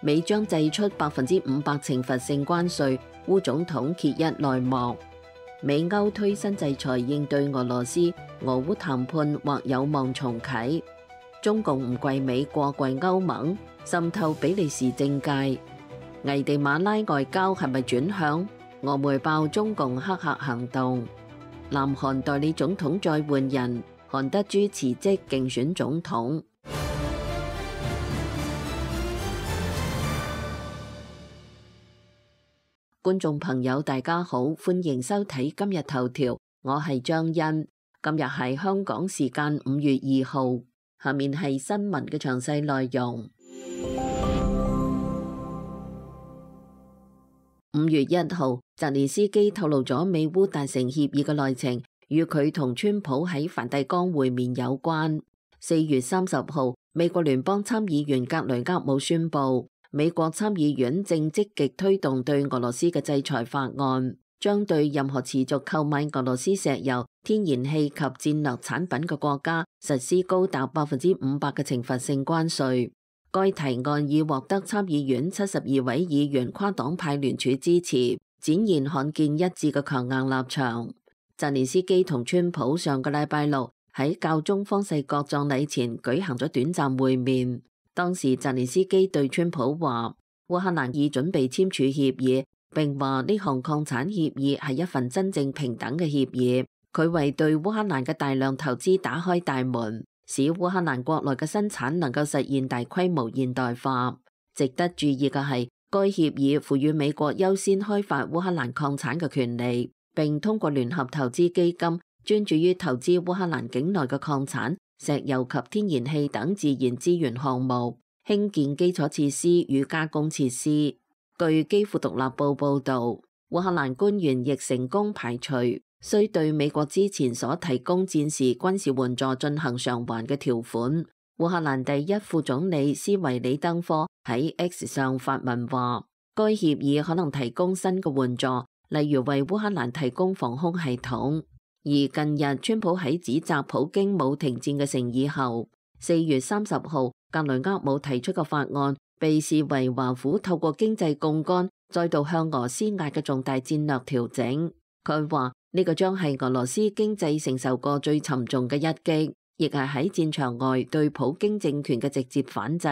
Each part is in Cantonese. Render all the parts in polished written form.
美將祭出500%懲罰性關稅，烏總統揭一內幕。美歐推新制裁應對俄羅斯，俄烏談判或有望重啟。中共唔跪美國，跪歐盟，滲透比利時政界。危地馬拉外交係咪轉向？俄媒爆中共黑客行動。南韓代理總統再換人，韓德洙辭職競選總統。觀眾朋友大家好，歡迎收睇今日頭條，我係張欣。今日係香港時間5月2號，下面係新聞嘅詳細內容。5月1號，澤連斯基透露咗美烏達成協議嘅內情，與佢同川普喺梵蒂岡會面有關。4月30號，美國聯邦參議員格雷厄姆宣布，美國參議院正積極推動對俄羅斯嘅制裁法案，將對任何持續購買俄羅斯石油、天然氣及戰略產品嘅國家實施高達500%嘅懲罰性關稅。該提案已獲得參議院72位議員跨黨派聯署支持，展現罕見一致嘅強硬立場。澤連斯基同川普上個禮拜六喺教宗方濟各葬禮前舉行咗短暫會面。當時澤連斯基對川普話，烏克蘭已準備簽署協議，並話呢項礦產協議係一份真正平等嘅協議。佢為對烏克蘭嘅大量投資打開大門，使烏克蘭國內嘅生產能夠實現大規模現代化。值得注意嘅係，該協議賦予美國優先開發烏克蘭礦產嘅權利，並通過聯合投資基金專注於投資烏克蘭境內嘅礦產、石油及天然氣等自然資源項目，興建基礎設施與加工設施。據基輔獨立報報導，烏克蘭官員亦成功排除需對美國之前所提供戰時軍事援助進行償還嘅條款。烏克蘭第一副總理斯維里登科喺 X 上發文話，該協議可能提供新嘅援助，例如為烏克蘭提供防空系統。而近日，川普喺指責普京冇停戰嘅誠意後，4月30號，格雷厄姆提出嘅法案被視為華府透過經濟槓桿再度向俄施壓嘅重大戰略調整。佢話呢個將係俄羅斯經濟承受過最沉重嘅一擊，亦係喺戰場外對普京政權嘅直接反制。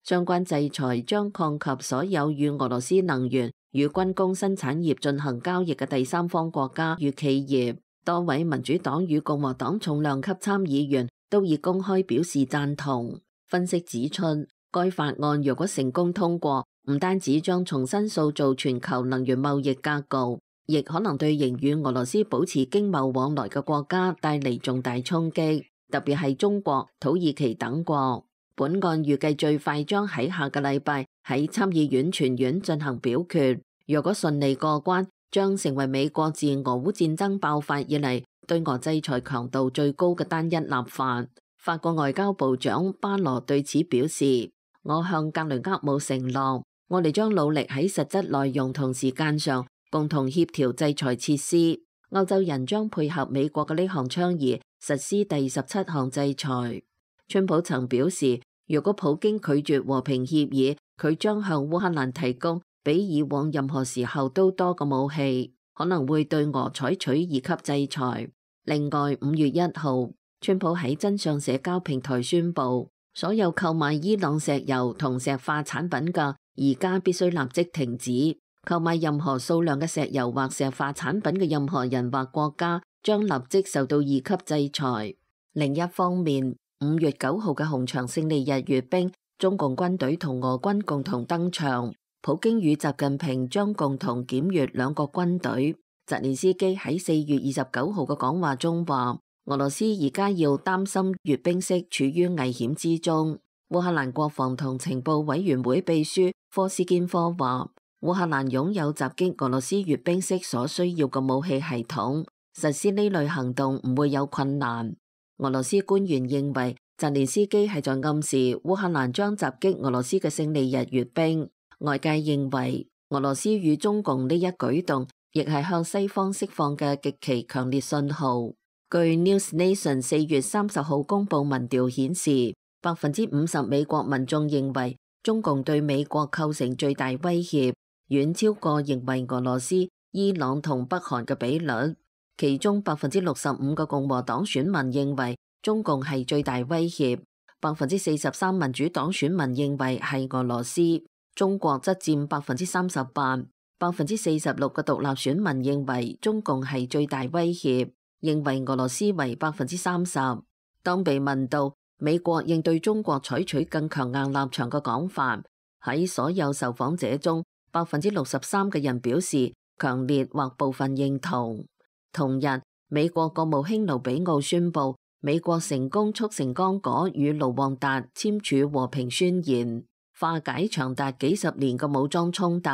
相關制裁將擴及所有與俄羅斯能源與軍工生產業進行交易嘅第三方國家與企業。多位民主黨與共和黨重量級參議員都已公開表示贊同。分析指出，該法案若果成功通過，唔單止將重新塑造全球能源貿易格局，亦可能對仍與俄羅斯保持經貿往來嘅國家帶嚟重大衝擊，特別係中國、土耳其等國。本案預計最快將喺下個禮拜喺參議院全院進行表決，若果順利過關，將成為美國自俄烏戰爭爆發以嚟對俄制裁強度最高嘅單一立法。法國外交部長巴羅對此表示，我向格雷厄姆承諾，我哋將努力喺實質內容同時間上共同協調制裁設施。歐洲人將配合美國嘅呢項倡議，實施第17項制裁。川普曾表示，如果普京拒絕和平協議，佢將向烏克蘭提供比以往任何時候都多嘅武器，可能會對俄採取2級制裁。另外，5月1號，川普喺真相社交平台宣布，所有購買伊朗石油同石化產品嘅，而家必須立即停止。購買任何數量嘅石油或石化產品嘅任何人或國家，將立即受到2級制裁。另一方面，5月9號嘅紅場勝利日閱兵，中共軍隊同俄軍共同登場。普京與習近平將共同檢閱兩國軍隊。澤連斯基喺4月29號嘅講話中話，俄羅斯而家要擔心閱兵式處於危險之中。烏克蘭國防同情報委員會秘書科斯堅科話，烏克蘭擁有襲擊俄羅斯閱兵式所需要嘅武器系統，實施呢類行動唔會有困難。俄羅斯官員認為，澤連斯基係在暗示烏克蘭將襲擊俄羅斯嘅勝利日閱兵。外界認為，俄羅斯與中共呢一舉動，亦係向西方釋放嘅極其強烈信號。據 NewsNation 4月30號公佈民調顯示，50%美國民眾認為中共對美國構成最大威脅，遠超過認為俄羅斯、伊朗同北韓嘅比率。其中65%嘅共和黨選民認為中共係最大威脅，43%民主黨選民認為係俄羅斯。中國則佔38%，46%嘅獨立選民認為中共係最大威脅，認為俄羅斯為30%。當被問到美國應對中國採取更強硬立場嘅講法，喺所有受訪者中，63%嘅人表示強烈或部分認同。同日，美國國務卿盧比奧宣布，美國成功促成剛果與盧旺達簽署和平宣言，化解長達幾十年嘅武裝衝突，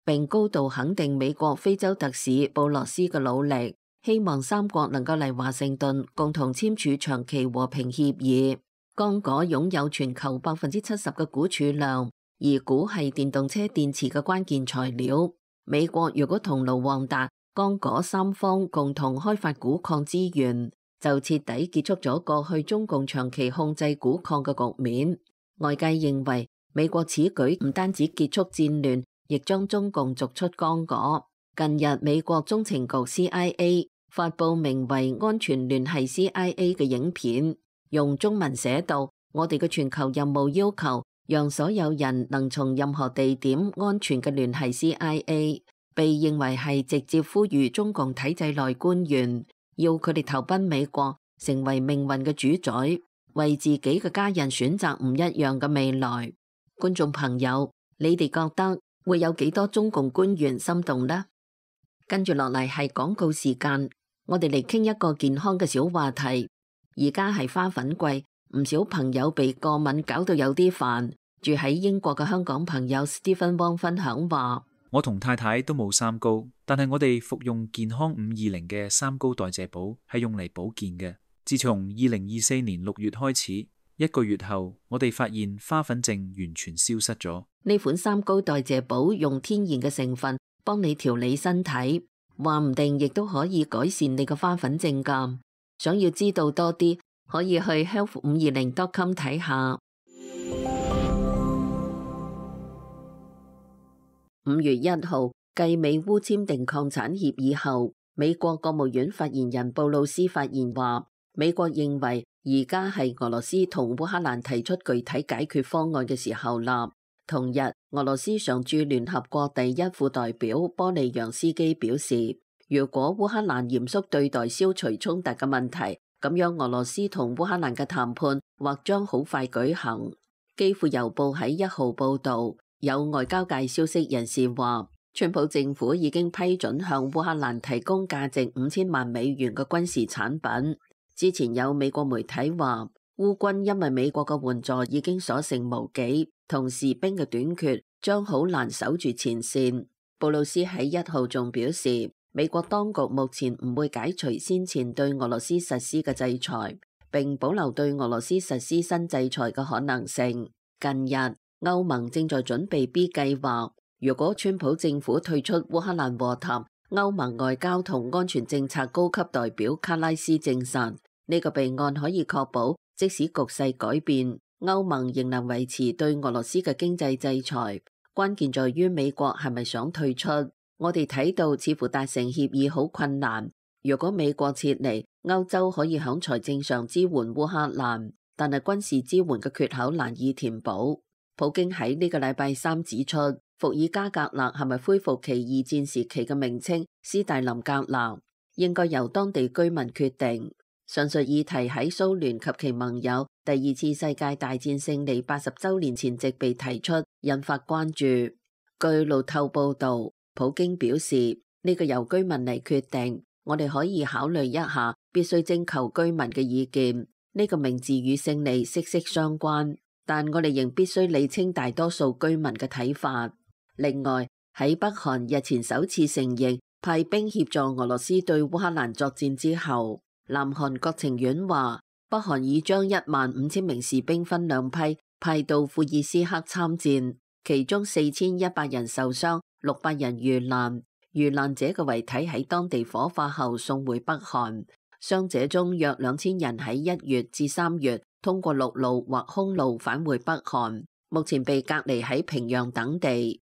並高度肯定美國非洲特使布羅斯嘅努力，希望三國能夠嚟華盛頓共同簽署長期和平協議。剛果擁有全球70%嘅鈷儲量，而鈷係電動車電池嘅關鍵材料。美國如果同盧旺達、剛果三方共同開發鈷礦資源，就徹底結束咗過去中共長期控制鈷礦嘅局面。外界認為美國此舉唔單止結束戰亂，亦將中共逐出剛果。近日，美國中情局 CIA 發佈名為《安全聯繫 CIA》嘅影片，用中文寫道：我哋嘅全球任務要求，讓所有人能從任何地點安全嘅聯繫 CIA， 被認為係直接呼籲中共體制內官員，要佢哋投奔美國，成為命運嘅主宰，為自己嘅家人選擇唔一樣嘅未來。觀眾朋友，你哋覺得會有幾多中共官員心動呢？跟住落嚟係廣告時間，我哋嚟傾一個健康嘅小話題。而家係花粉季，唔少朋友被過敏搞到有啲煩。住喺英國嘅香港朋友 Stephen Wong 分享話：我同太太都冇三高，但係我哋服用健康520嘅三高代謝寶係用嚟保健嘅。自從2024年6月開始，1個月後，我哋發現花粉症完全消失咗。呢款三高代謝寶用天然嘅成分幫你調理身體，話唔定亦都可以改善你嘅花粉症㗎。想要知道多啲，可以去 health520.com 睇下。5月1號，繼美烏簽訂抗產協議後，美國國務院發言人布魯斯發言話，美國認為而家係俄羅斯同烏克蘭提出具體解決方案嘅時候啦。同日，俄羅斯常駐聯合國第一副代表波利揚斯基表示，如果烏克蘭嚴肅對待消除衝突嘅問題，咁樣俄羅斯同烏克蘭嘅談判或將好快舉行。基輔郵報喺1號報導，有外交界消息人士話，川普政府已經批准向烏克蘭提供價值5000萬美元嘅軍事產品。之前有美國媒體話，烏軍因為美國嘅援助已經所剩無幾，同士兵嘅短缺將好難守住前線。布魯斯喺1號仲表示，美國當局目前唔會解除先前對俄羅斯實施嘅制裁，並保留對俄羅斯實施新制裁嘅可能性。近日，歐盟正在準備 B 計劃，如果川普政府退出烏克蘭和談，歐盟外交同安全政策高級代表卡拉斯證實，呢個備案可以確保，即使局勢改變，歐盟仍能維持對俄羅斯嘅經濟制裁。關鍵在於美國係咪想退出。我哋睇到似乎達成協議好困難。如果美國撤離，歐洲可以喺財政上支援烏克蘭，但係軍事支援嘅缺口難以填補。普京喺呢個禮拜3指出，伏爾加格勒係咪恢復其二戰時期嘅名稱斯大林格勒，應該由當地居民決定。上述議題喺蘇聯及其盟友第2次世界大戰勝利80週年前夕被提出，引發關注。據路透報導，普京表示，呢個由居民嚟決定，我哋可以考慮一下，必須徵求居民嘅意見。呢個名字與勝利息息相關，但我哋仍必須理清大多數居民嘅睇法。另外，喺北韓日前首次承認派兵協助俄羅斯對烏克蘭作戰之後，南韓國情院話，北韓已將15000名士兵分兩批派到庫爾斯克參戰，其中4100人受傷，600人遇難。遇難者嘅遺體喺當地火化後送回北韓。傷者中約2000人喺1月至3月通過陸路或空路返回北韓。目前被隔離喺平壤等地。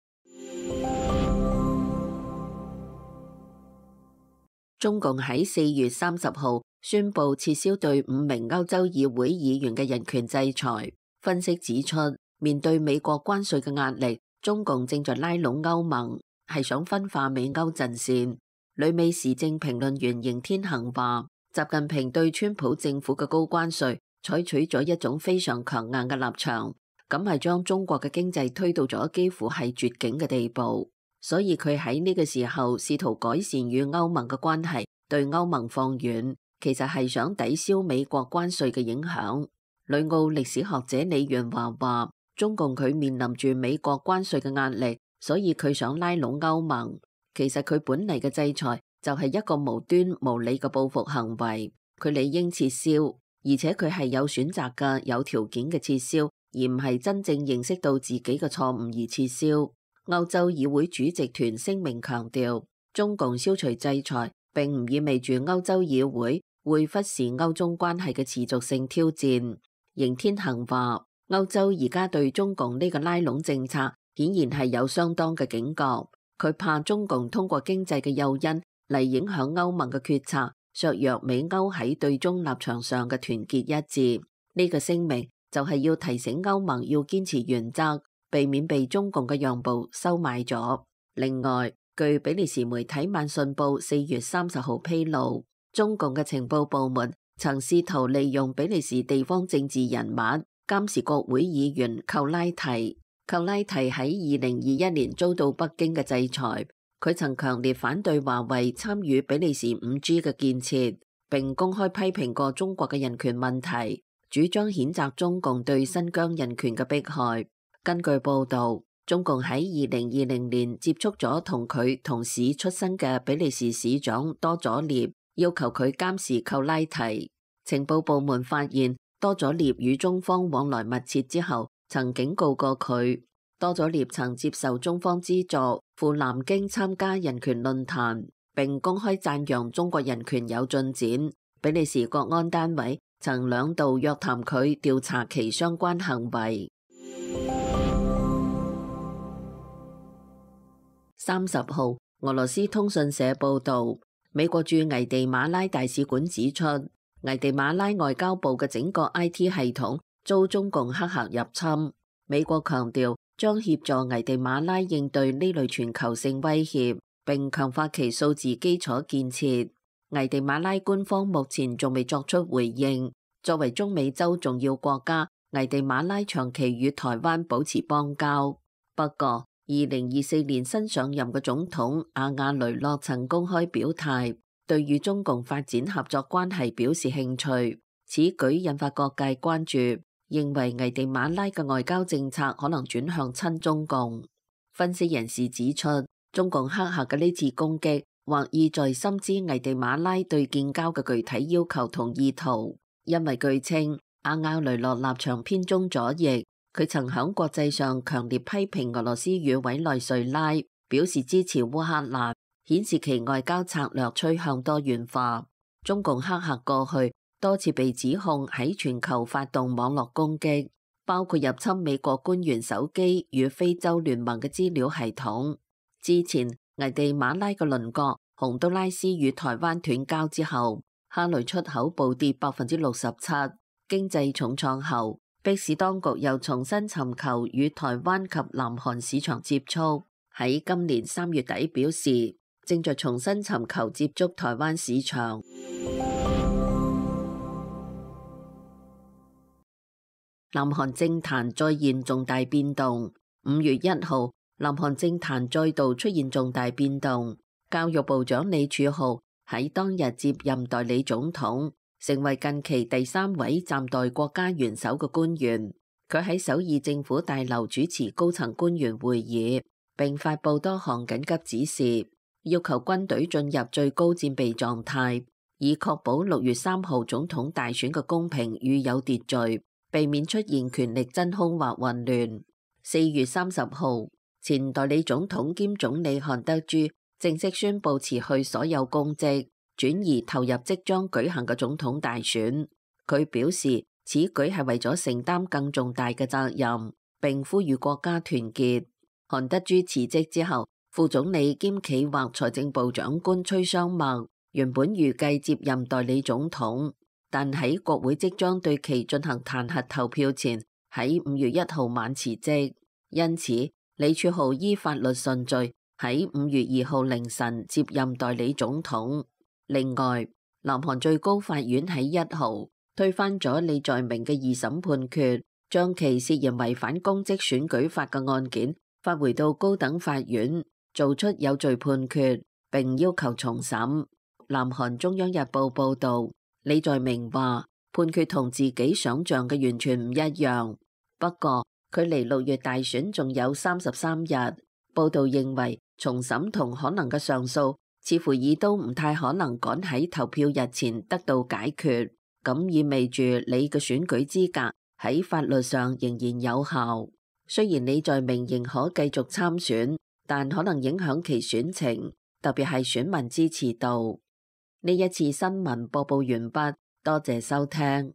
中共喺4月30號宣布撤銷對5名歐洲議會議員嘅人權制裁。分析指出，面對美國關稅嘅壓力，中共正在拉攏歐盟，係想分化美歐陣線。旅美時政評論員邢天行話，習近平對川普政府嘅高關稅採取咗一種非常強硬嘅立場，咁係將中國嘅經濟推到咗幾乎係絕境嘅地步。所以佢喺呢個時候試圖改善與歐盟嘅關係，對歐盟放軟，其實係想抵消美國關稅嘅影響。旅澳歷史學者李元華話，中共佢面臨住美國關稅嘅壓力，所以佢想拉攏歐盟。其實佢本嚟嘅制裁就係一個無端無理嘅報復行為，佢理應撤銷，而且佢係有選擇嘅、有條件嘅撤銷，而唔係真正認識到自己嘅錯誤而撤銷。歐洲議會主席團聲明強調，中共消除制裁並唔意味住歐洲議會會忽視歐中關係嘅持續性挑戰。邢天行話，歐洲而家對中共呢個拉攏政策顯然係有相當嘅警覺，佢怕中共通過經濟嘅誘因嚟影響歐盟嘅決策，削弱美歐喺對中立場上嘅團結一致。呢個聲明就係要提醒歐盟要堅持原則，避免被中共嘅讓步收買咗。另外，據比利時媒體《晚信報》4月30號披露，中共嘅情報部門曾試圖利用比利時地方政治人物監視國會議員寇拉提。寇拉提喺2021年遭到北京嘅制裁，佢曾強烈反對華為參與比利時 5G 嘅建設，並公開批評過中國嘅人權問題，主張譴責中共對新疆人權嘅迫害。根據報導，中共喺2020年接觸咗同佢同市出身嘅比利時市長多佐涅，要求佢監視寇拉提。情報部門發現多佐涅與中方往來密切之後，曾警告過佢。多佐涅曾接受中方資助赴南京參加人權論壇，並公開讚揚中國人權有進展。比利時國安單位曾2度約談佢，調查其相關行為。30號，俄羅斯通訊社報導，美國駐危地馬拉大使館指出，危地馬拉外交部嘅整個 IT 系統遭中共黑客入侵。美國強調將協助危地馬拉應對呢類全球性威脅，並強化其數字基礎建設。危地馬拉官方目前仲未作出回應。作為中美洲重要國家，危地馬拉長期與台灣保持邦交。不過，2024年新上任嘅總統阿亞雷諾曾公開表態，對與中共發展合作關係表示興趣。此舉引發各界關注，認為危地馬拉嘅外交政策可能轉向親中共。分析人士指出，中共黑客嘅呢次攻擊，或意在深知危地馬拉對建交嘅具體要求同意圖，因為據稱阿亞雷諾立場偏中左翼。佢曾喺國際上強烈批評俄羅斯與委內瑞拉，表示支持烏克蘭，顯示其外交策略趨向多元化。中共黑客過去多次被指控喺全球發動網絡攻擊，包括入侵美國官員手機與非洲聯盟嘅資料系統。之前危地馬拉嘅鄰國洪都拉斯與台灣斷交之後，蝦類出口暴跌67%，經濟重創後，迫使當局又重新尋求與台灣及南韓市場接觸，喺今年3月底表示正在重新尋求接觸台灣市場。南韓政壇再現重大變動。5月1號，南韓政壇再度出現重大變動，教育部長李柱浩喺當日接任代理總統，成為近期第3位暫代國家元首嘅官員。佢喺首爾政府大樓主持高層官員會議，並發布多項緊急指示，要求軍隊進入最高戰備狀態，以確保6月3號總統大選嘅公平與有秩序，避免出現權力真空或混亂。4月30號，前代理總統兼總理韓德珠正式宣布辭去所有公職，轉移投入即將舉行嘅總統大選。佢表示此舉係為咗承擔更重大嘅責任，並呼籲國家團結。韓德洙辭職之後，副總理兼企劃財政部長官崔尚墨原本預計接任代理總統，但喺國會即將對其進行彈劾投票前，喺5月1號晚辭職。因此，李柱浩依法律順序喺5月2號凌晨接任代理總統。另外，南韓最高法院喺1號推翻咗李在明嘅二審判決，將其涉嫌違反公職選舉法嘅案件發回到高等法院，做出有罪判決，並要求重審。南韓中央日報報道，李在明話判決同自己想象嘅完全唔一樣，不過距離6月大選仲有33日。報道認為重審同可能嘅上訴似乎已都唔太可能趕喺投票日前得到解決，咁意味住李嘅選舉資格喺法律上仍然有效。雖然李在明仍可繼續參選，但可能影響其選情，特別係選民支持度。呢一次新聞播報完畢，多謝收聽。